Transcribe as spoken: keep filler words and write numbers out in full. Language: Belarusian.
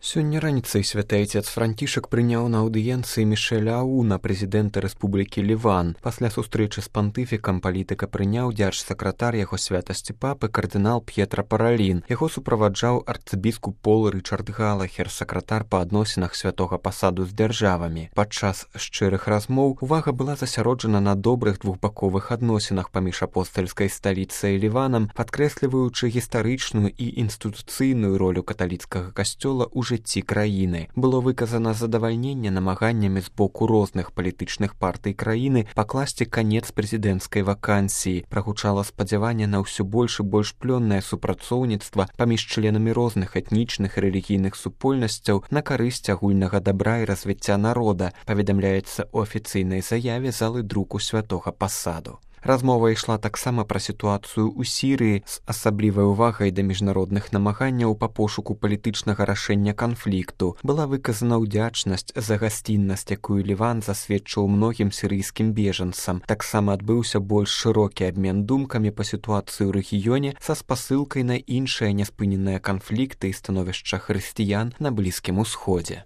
Сёння раніцай святы айцец Францішак прыняў на аўдыенцыі Мішэля Ауна, прэзідэнта Рэспублікі Ліван. Пасля сустрэчы з пантыфікам палітыка прыняў дзяржсакратар яго святасці папы кардынал П'етра Паралін. Яго суправаджаў арцыбіскуп Пол Рычард Галахер, сакратар па адносінах святога пасаду з дзяржавамі. Падчас шчырых размоў увага была засяроджана на добрых двухбаковых адносінах паміж апостальскай сталіцай і Ліванам, падкрэсліваючы гістарычную і інстытуцыйную ролю каталіцкага касцёла ў жыцці краіны. Было выказана задавальненне намаганнямі з боку розных палітычных партый краіны пакласці канец прэзідэнцкай вакансіі. Прагучала спадзяванне на ўсё больш і больш плённае супрацоўніцтва паміж членамі розных этнічных і рэлігійных супольнасцяў на карысць агульнага дабра і развіцця народа, паведамляецца ў афіцыйнай заяве залы друку святога пасаду. Размова ішла таксама пра сітуацыю ў Сірыі з асаблівай увагай да міжнародных намаганняў па пошуку палітычнага рашэння канфлікту. Была выказана ўдзячнасць за гасціннасць, якую Ліван засведчыў многім сірыйскім бежанцам. Таксама адбыўся больш шырокі абмен думкамі па сітуацыі ў рэгіёне са спасылкай на іншыя няспыненыя канфлікты і становішча хрысціян на Блізкім Усходзе.